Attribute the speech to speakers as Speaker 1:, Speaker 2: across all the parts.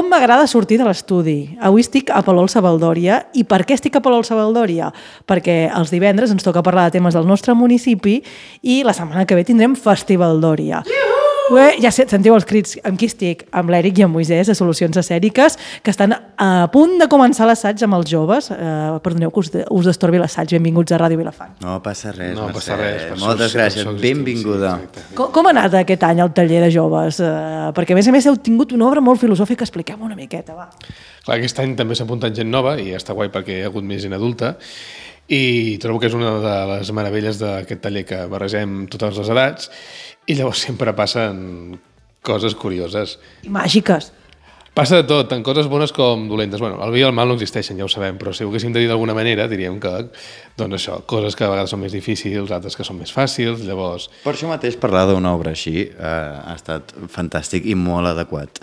Speaker 1: Com m'agrada sortir de l'estudi. Avui estic a Palol Savaldòria. I per què estic a Palol Savaldòria? Perquè els divendres ens toca parlar de temes del nostre municipi i la setmana que ve tindrem Festivaldòria. Ja sentiu els crits. Amb qui estic? Amb l'Eric i amb Moisès, de Solucions Escèniques, que estan a punt de començar l'assaig amb els joves. Perdoneu que us destorbi l'assaig. Benvinguts a Ràdio Vilafant.
Speaker 2: No passa res,
Speaker 3: no
Speaker 2: Mercè.
Speaker 3: Passa res.
Speaker 2: Moltes gràcies, benvinguda.
Speaker 3: Sí,
Speaker 1: com ha anat aquest any el taller de joves? Perquè a més heu tingut una obra molt filosòfica. Expliquem una miqueta, va.
Speaker 3: Clar, aquest any també s'ha apuntat gent nova i està guai perquè hi ha hagut més gent adulta i trobo que és una de les meravelles d'aquest taller, que barregem totes les edats i llavors sempre passen coses curioses.
Speaker 1: I màgiques.
Speaker 3: Passa de tot, tant coses bones com dolentes. Bueno, el bé i el mal no existeixen, ja ho sabem, però si ho haguéssim de dir d'alguna manera, diríem que, doncs això, coses que a vegades són més difícils, altres que són més fàcils, llavors...
Speaker 2: Per això mateix parlar d'una obra així ha estat fantàstic i molt adequat.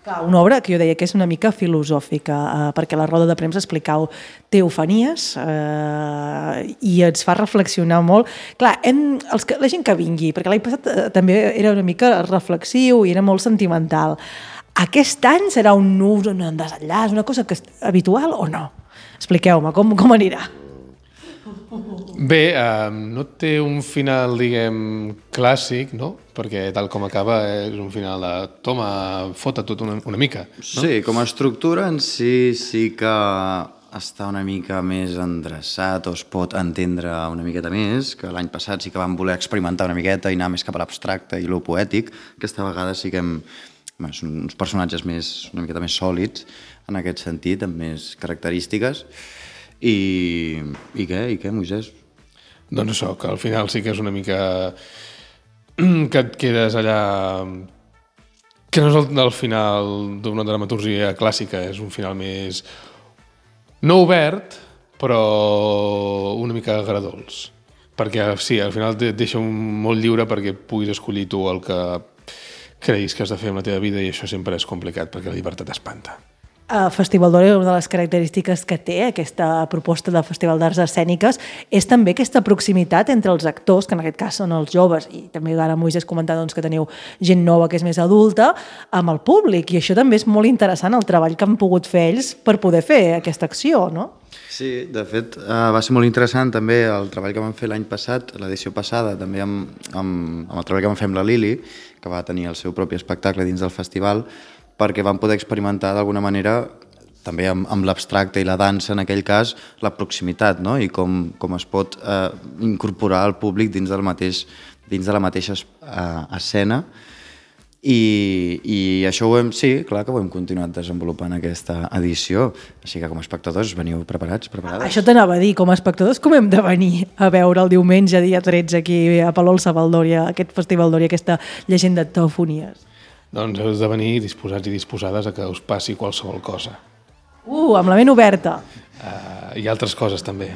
Speaker 1: Clar, una obra que jo deia que és una mica filosòfica, perquè a la roda de premsa explicau teofanies i ens fa reflexionar molt. Clar, la gent que vingui, perquè l'any passat també era una mica reflexiu i era molt sentimental. Aquest any serà un nus, un desenllaç, una cosa habitual o no? Expliqueu-me, com anirà?
Speaker 3: Bé, no té un final, diguem, clàssic, no? Perquè tal com acaba és un final de toma, fota tot una mica. No?
Speaker 2: Sí, com a estructura en sí que està una mica més endreçat o es pot entendre una miqueta més, que l'any passat sí que vam voler experimentar una miqueta i anar més cap a l'abstracte i lo poètic. Aquesta vegada sí que són uns personatges una miqueta més sòlids en aquest sentit, amb més característiques. I què, Moisès?
Speaker 3: Doncs això, que al final sí que és una mica que et quedes allà... Que no és el final d'una dramaturgia clàssica, és un final més... no obert, però una mica agradolç. Perquè sí, al final et deixa molt lliure perquè puguis escollir tu el que creguis que has de fer amb la teva vida i això sempre és complicat perquè la llibertat espanta.
Speaker 1: Festivaldòria, una de les característiques que té aquesta proposta de Festival d'Arts Escèniques és també aquesta proximitat entre els actors, que en aquest cas són els joves, i també ara Moisès comentava doncs, que teniu gent nova que és més adulta, amb el públic, i això també és molt interessant, el treball que han pogut fer ells per poder fer aquesta acció, no?
Speaker 2: Sí, de fet, va ser molt interessant també el treball que vam fer l'any passat, l'edició passada, també amb el treball que vam fer amb la Lili, que va tenir el seu propi espectacle dins del festival, perquè vam poder experimentar d'alguna manera, també amb l'abstracte i la dansa, en aquell cas, la proximitat, no? I com es pot incorporar el públic dins de la mateixa escena. I això sí, clar que ho hem continuat desenvolupant aquesta edició. Així que com a espectadors veniu preparats, preparades?
Speaker 1: Això t'anava a dir, com a espectadors com hem de venir a veure el diumenge, dia 13, aquí a Palol Savaldòria, aquest Festivaldòria, aquesta llegenda de teofonies?
Speaker 3: Doncs heu de venir disposats i disposades a que us passi qualsevol cosa.
Speaker 1: Amb la ment oberta.
Speaker 3: I altres coses també.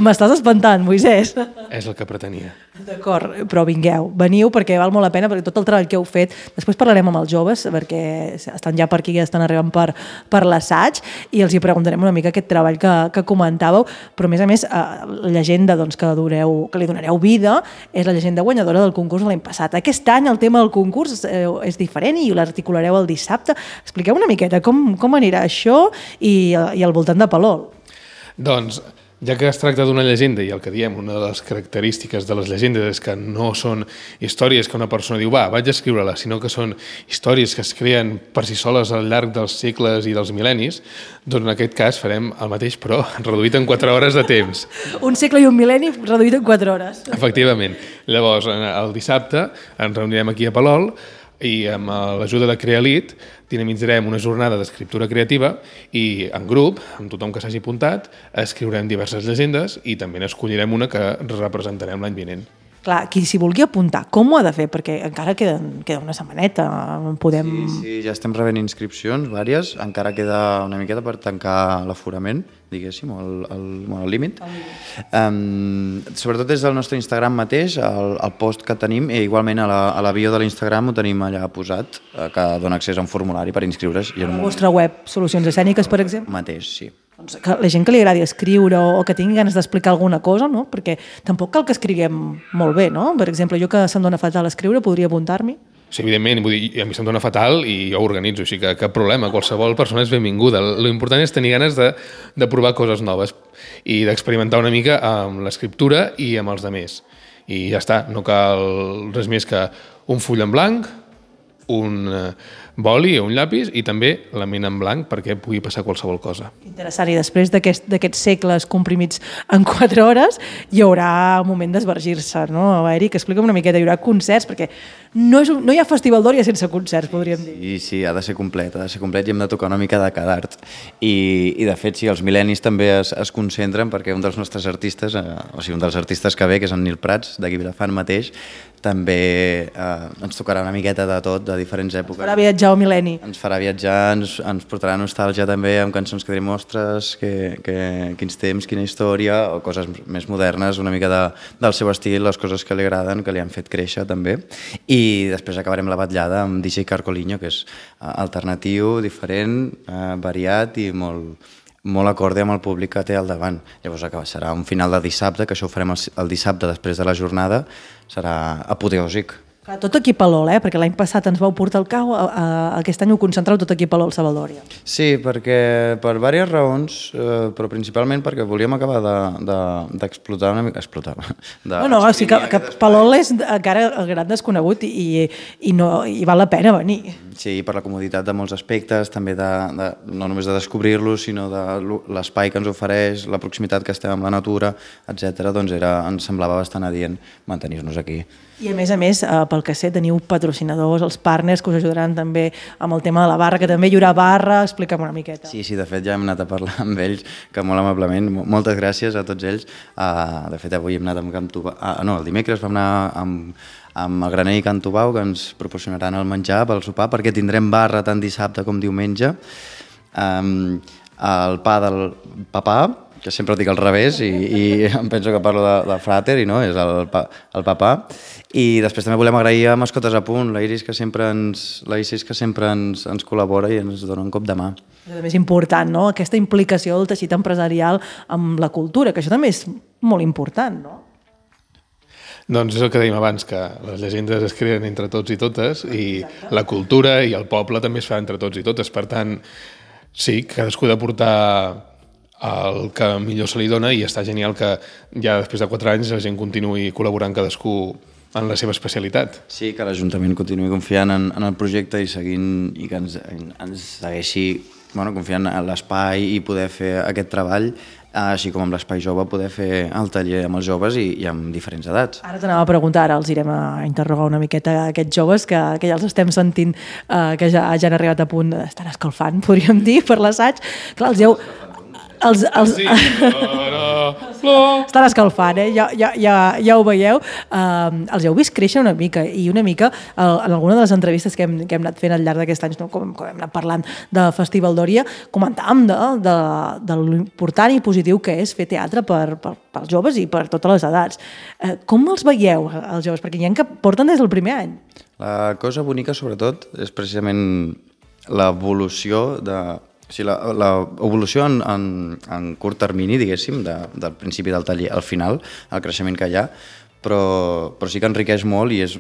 Speaker 1: M'estàs espantant, Moisès.
Speaker 3: És el que pretenia.
Speaker 1: D'acord, però vingueu, veniu perquè val molt la pena, perquè tot el treball que heu fet, després parlarem amb els joves, perquè estan ja per aquí, ja estan arribant per l'assaig, i els hi preguntarem una mica aquest treball que comentàveu, però a més, la llegenda doncs, que li donareu vida és la llegenda guanyadora del concurs de l'any passat. Aquest any el tema del concurs és diferent i l'articulareu el dissabte. Expliqueu una miqueta com anirà això i al voltant de Palol.
Speaker 3: Doncs, ja que es tracta d'una llegenda, i el que diem, una de les característiques de les llegendes és que no són històries que una persona diu, vaig a escriure-la, sinó que són històries que es creen per si soles al llarg dels segles i dels mil·lennis, doncs en aquest cas farem el mateix, però reduït en 4 hores de temps.
Speaker 1: Un segle i un mil·lenni reduït en 4 hores.
Speaker 3: Efectivament. Llavors, el dissabte ens reunirem aquí a Palol i amb l'ajuda de Crealit dinamitzarem una jornada d'escriptura creativa i en grup, amb tothom que s'hagi apuntat, escriurem diverses llegendes i també n'escollirem una que representarem l'any vinent.
Speaker 1: Clar, qui s'hi vulgui apuntar, com ho ha de fer? Perquè encara queda una setmaneta.
Speaker 2: Sí, ja estem rebent inscripcions, vàries. Encara queda una miqueta per tancar l'aforament, diguéssim, el límit. Sobretot des del nostre Instagram mateix, el post que tenim, i igualment a la bio de l'Instagram ho tenim allà posat, que dona accés a un formulari per inscriure's.
Speaker 1: A la vostra web, Solucions Escèniques, per exemple?
Speaker 2: Mateix, sí.
Speaker 1: Doncs que la gent que li agradi escriure o que tingui ganes d'explicar alguna cosa, no? Perquè tampoc cal que escriguem molt bé, no? Per exemple, jo que se'm dona fatal escriure, podria apuntar-m'hi?
Speaker 3: sigui, evidentment, vull dir, a mi se'm dona fatal i jo ho organitzo, així que cap problema, qualsevol persona és benvinguda. Lo important és tenir ganes de provar coses noves i d'experimentar una mica amb l'escriptura i amb els altres. I ja està, no cal res més que un full en blanc, un boli o un llapis i també la ment en blanc perquè pugui passar qualsevol cosa.
Speaker 1: Interessant, i després d'aquests segles comprimits en 4 hores hi haurà un moment d'esvergir-se, no? Eric, explica'm una miqueta, hi haurà concerts, perquè no hi ha Festival d'Òria sense concerts, podríem dir.
Speaker 2: Sí, ha de ser complet i hem de tocar una mica de cada art. I de fet, sí, els mil·lennis també es concentren perquè un dels nostres artistes, o sigui, un dels artistes que ve, que és en Nil Prats, d'aquí Vilafant mateix, també ens tocarà una miqueta de tot, de diferents èpoques.
Speaker 1: Farà viatjar el mil·lenni.
Speaker 2: Ens farà viatjar, ens portarà nostàlgia també amb cançons que direm, ostres, quins temps, quina història, o coses més modernes, una mica del seu estil, les coses que li agraden, que li han fet créixer també. I després acabarem la batllada amb DJ Carcoliño, que és alternatiu, diferent, variat i molt acorde amb el públic que té al davant. Llavors serà un final de dissabte, que això ho farem el dissabte després de la jornada, serà apoteòsic.
Speaker 1: Tot aquí a l'Ol, perquè l'any passat ens vau portar el cau, aquest any ho concentrau tot aquí a l'Ol, Sabaldòria.
Speaker 2: Sí, perquè per diverses raons, però principalment perquè volíem acabar d'explotar una mica...
Speaker 1: No, sí que Palol és encara el gran desconegut i val la pena venir.
Speaker 2: Sí, per la comoditat de molts aspectes, també no només de descobrir-lo, sinó de l'espai que ens ofereix, la proximitat que estem amb la natura, etc. Doncs ens semblava bastant adient mantenir-nos aquí.
Speaker 1: I a més, pel que sé, teniu patrocinadors, els partners que us ajudaran també amb el tema de la barra, que també hi haurà barra, explica'm una miqueta.
Speaker 2: Sí, de fet ja hem anat a parlar amb ells, que molt amablement, moltes gràcies a tots ells. De fet avui hem anat amb Can Tubau, el dimecres vam anar amb el Graner i Can Tubau, que ens proporcionaran el menjar pel sopar, perquè tindrem barra tant dissabte com diumenge. El pa del papà, que sempre ho dic al revés i em penso que parlo de Frater i no, és el papà. I després també volem agrair a Mascotes a Punt, la Iris que sempre ens col·labora i ens dona un cop de mà.
Speaker 1: És important, no? Aquesta implicació del teixit empresarial amb la cultura, que això també és molt important, no?
Speaker 3: Doncs és el que dèiem abans, que les llegendes es creen entre tots i totes i la cultura i el poble també es fa entre tots i totes. Per tant, sí, cadascú ha de portar el que millor se li dona i està genial que ja després de 4 anys la gent continuï col·laborant cadascú en la seva especialitat.
Speaker 2: Sí, que l'Ajuntament continuï confiant en el projecte i seguint i que ens segueixi confiant en l'espai i poder fer aquest treball, així com amb l'Espai Jove poder fer el taller amb els joves i amb diferents edats.
Speaker 1: Ara t'anava a preguntar, ara els irem a interrogar una miqueta a aquests joves que ja els estem sentint que ja han arribat a punt d'estar escalfant, podríem dir, per l'assaig. Clar, estan escalfant, ja ho veieu. Els heu vist créixer una mica i una mica en alguna de les entrevistes que hem anat fent al llarg d'aquest any, com hem anat parlant de Festival d'Òria, comentàvem de l'important i positiu que és fer teatre pels joves i per totes les edats. Com els veieu, els joves? Perquè hi ha que porten des del primer any.
Speaker 2: La cosa bonica, sobretot, és precisament l'evolució l'evolució en curt termini, diguéssim, del principi del taller al final, el creixement que hi ha, però sí que enriqueix molt i és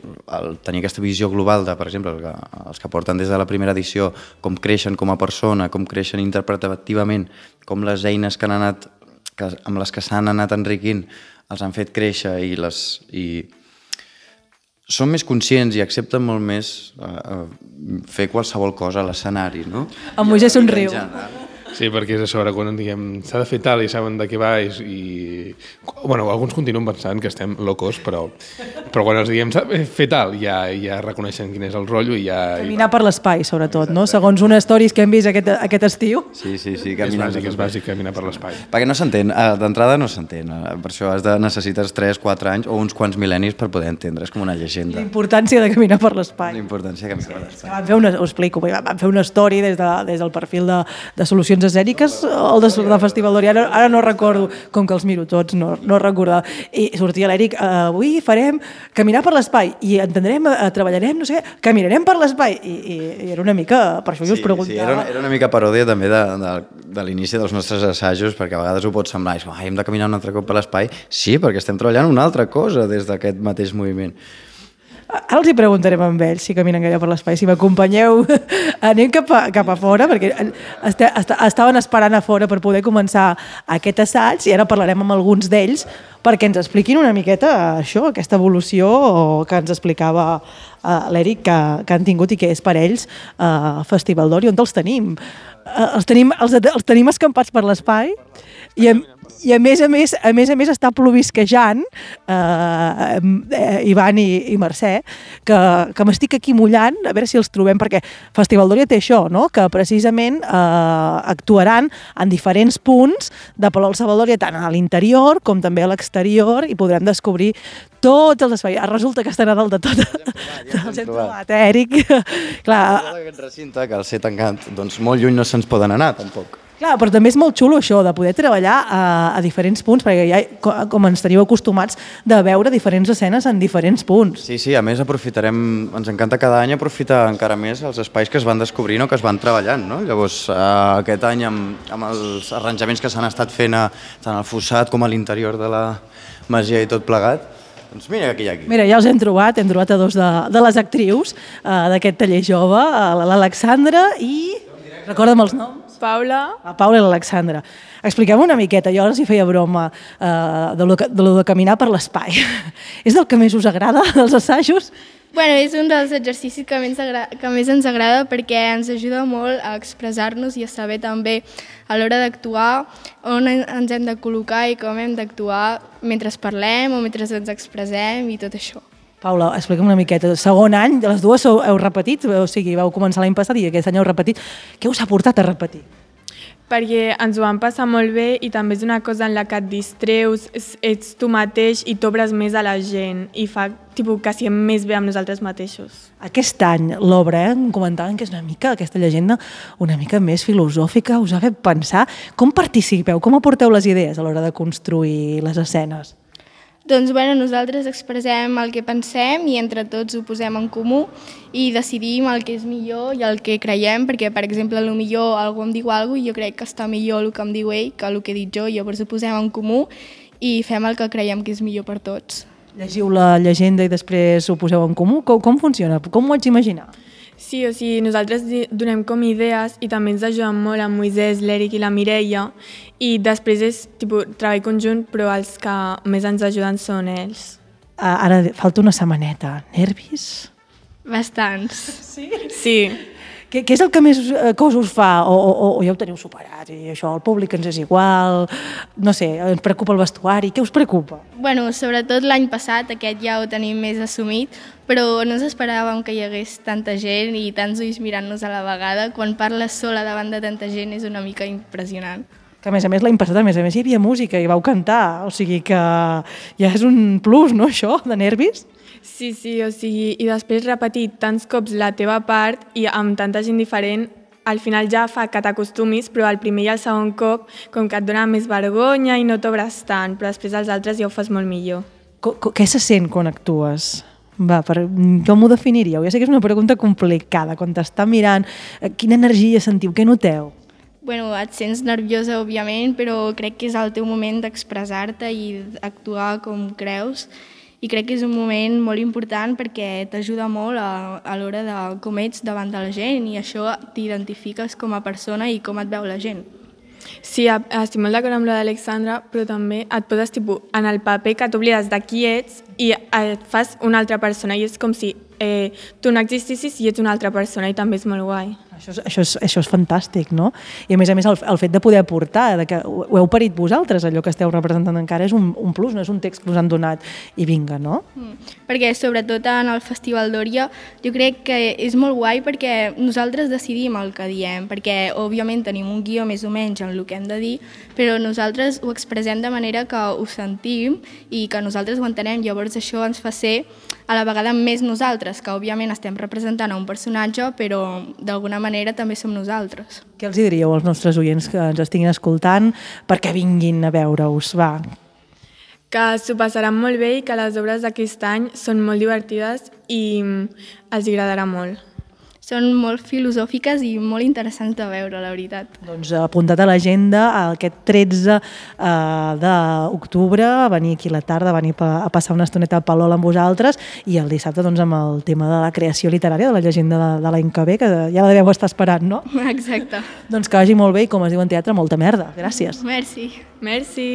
Speaker 2: tenir aquesta visió global de, per exemple, els que porten des de la primera edició, com creixen com a persona, com creixen interpretativament, com les eines que amb les que s'han anat enriquint els han fet créixer i són més conscients i accepten molt més fer qualsevol cosa a l'escenari, no?
Speaker 1: En Moisès somriu.
Speaker 3: Sí, perquè és això, ara quan diguem s'ha de fer tal i saben de què va bueno, alguns continuen pensant que estem locos, però quan els diguem s'ha de fer tal ja reconeixen quin és el rotllo i ja...
Speaker 1: Caminar per l'espai, sobretot, no? Segons unes stories que hem vist aquest estiu.
Speaker 2: Sí,
Speaker 3: és bàsic caminar per l'espai.
Speaker 2: Perquè no s'entén, d'entrada no s'entén, per això necessites 3-4 anys o uns quants mil·lennis per poder entendre, és com una llegenda.
Speaker 1: L'importància de caminar per l'espai.
Speaker 2: L'importància de caminar per l'espai.
Speaker 1: Vam fer una story des del perfil de Solucions Escèniques, el de Festival d'Òria, ara no recordo, com que els miro tots, no recordava, i sortia l'Eric, avui farem caminar per l'espai, i entendrem, treballarem, no sé què, caminarem per l'espai, i era una mica, per això jo us preguntava.
Speaker 2: Sí, era una mica paròdia també de l'inici dels nostres assajos, perquè a vegades ho pot semblar, hem de caminar un altre cop per l'espai, sí, perquè estem treballant una altra cosa des d'aquest mateix moviment.
Speaker 1: Ara els hi preguntarem amb ells si caminen gaire per l'espai. Si m'acompanyeu, anem cap a fora, perquè estaven esperant a fora per poder començar aquest assaig i ara parlarem amb alguns d'ells perquè ens expliquin una miqueta això, aquesta evolució que ens explicava l'Eric que han tingut i que és per ells Festival d'Or. I on els tenim? Els tenim escampats per l'espai i a més a més està plovisquejant Ivan i Mercè que m'estic aquí mullant a veure si els trobem, perquè Festival d'Or ja té això, no? Que precisament actuaran en diferents punts de Palau-Savaldor, tant a l'interior com també a l'exterior, i podrem descobrir tots els espais. Resulta que estan a dalt de tot. Els hem trobat, Eric? Clar,
Speaker 2: aquest recinte, que al ser tancat, doncs molt lluny no se'ns poden anar, tampoc.
Speaker 1: Clar, però també és molt xulo això, de poder treballar a diferents punts, perquè ja, com ens teniu acostumats de veure diferents escenes en diferents punts.
Speaker 2: Sí, a més aprofitarem, ens encanta cada any aprofitar encara més els espais que es van descobrint o que es van treballant, no? Llavors, aquest any amb els arranjaments que s'han estat fent tant al fossat com a l'interior de la masia i tot plegat, doncs mira qui hi ha aquí.
Speaker 1: Mira, ja els hem trobat a dos de les actrius d'aquest taller jove, l'Alexandra i... Recorda'm els noms.
Speaker 4: Paula.
Speaker 1: La Paula i l'Alexandra. Expliquem una miqueta, jo ara els hi feia broma de lo de caminar per l'espai. És el que més us agrada dels assajos?
Speaker 4: Bueno, és un dels exercicis que més ens agrada perquè ens ajuda molt a expressar-nos i a saber també a l'hora d'actuar on ens hem de col·locar i com hem d'actuar mentre parlem o mentre ens expressem i tot això.
Speaker 1: Paula, explica'm una miqueta. Segon any, de les dues heu repetit, o sigui, vau començar l'any passat i aquest any heu repetit. Què us ha portat a repetir?
Speaker 5: Perquè ens ho vam passar molt bé i també és una cosa en la que et distreus, ets tu mateix i t'obres més a la gent i fa que siguem més bé amb nosaltres mateixos.
Speaker 1: Aquest any l'obra, em comentaven que és una mica, aquesta llegenda, una mica més filosòfica, us ha fet pensar. Com participeu, com aporteu les idees a l'hora de construir les escenes?
Speaker 4: Doncs nosaltres expressem el que pensem i entre tots ho posem en comú i decidim el que és millor i el que creiem, perquè, per exemple, potser algú em diu alguna cosa i jo crec que està millor el que em diu ell que el que he dit jo, llavors ho posem en comú i fem el que creiem que és millor per tots.
Speaker 1: Llegiu la llegenda i després ho poseu en comú? Com funciona? Com ho haig d'imaginar?
Speaker 5: Sí, o sigui, nosaltres donem com idees i també ens ajuden molt en Moisès, l'Eric i la Mireia i després és treball conjunt, però els que més ens ajuden són ells.
Speaker 1: Ara falta una setmaneta. Nervis?
Speaker 4: Bastants.
Speaker 1: Sí?
Speaker 5: Sí.
Speaker 1: Què és el que més cosa us fa? O ja ho teniu superat i això, el públic ens és igual, no sé, ens preocupa el vestuari, què us preocupa?
Speaker 4: Sobretot l'any passat, aquest ja ho tenim més assumit, però no ens esperàvem que hi hagués tanta gent i tants ulls mirant-nos a la vegada. Quan parles sola davant de tanta gent és una mica impressionant.
Speaker 1: Que a més l'any passat hi havia música i vau cantar, o sigui que ja és un plus, no, això, de nervis?
Speaker 5: Sí, o sigui, i després repetir tants cops la teva part i amb tanta gent diferent, al final ja fa que t'acostumis, però el primer i el segon cop com que et dona més vergonya i no t'obres tant, però després els altres ja ho fas molt millor.
Speaker 1: Què se sent quan actues? Com ho definiríeu? Ja sé que és una pregunta complicada, quan t'està mirant, quina energia sentiu, què noteu?
Speaker 4: Et sents nerviosa, òbviament, però crec que és el teu moment d'expressar-te i actuar com creus. I crec que és un moment molt important perquè t'ajuda molt a l'hora de com ets davant de la gent i això t'identifiques com a persona i com et veu la gent.
Speaker 5: Sí, estic molt d'acord amb l'Alexandra, però també et poses en el paper que t'oblides de qui ets i et fas una altra persona i és com si tu no existissis i ets una altra persona i també és molt guai.
Speaker 1: Això és fantàstic, no? I a més el fet de poder aportar, que ho heu parit vosaltres, allò que esteu representant encara és un plus, no és un text que us han donat i vinga, no?
Speaker 4: Perquè sobretot en el Festival d'Òria jo crec que és molt guai perquè nosaltres decidim el que diem, perquè òbviament tenim un guió més o menys en el que hem de dir, però nosaltres ho expressem de manera que ho sentim i que nosaltres ho entenem, llavors això ens fa ser a la vegada més nosaltres, que òbviament estem representant a un personatge, però d'alguna manera també som nosaltres.
Speaker 1: Què els diríeu als nostres oients que ens estiguin escoltant perquè vinguin a veure-us? Va.
Speaker 5: Que s'ho passaran molt bé i que les obres d'aquest any són molt divertides i els agradarà molt.
Speaker 4: són molt filosòfiques i molt interessants de veure, la veritat.
Speaker 1: Doncs apuntat a l'agenda aquest 13 d'octubre, a venir aquí a la tarda, a venir a passar una estoneta a Palol amb vosaltres, i el dissabte doncs, amb el tema de la creació literària, de la llegenda de l'any que ve, que ja la deveu estar esperant, no?
Speaker 4: Exacte.
Speaker 1: Doncs que vagi molt bé i, com es diu en teatre, molta merda. Gràcies.
Speaker 4: Merci.
Speaker 5: Merci.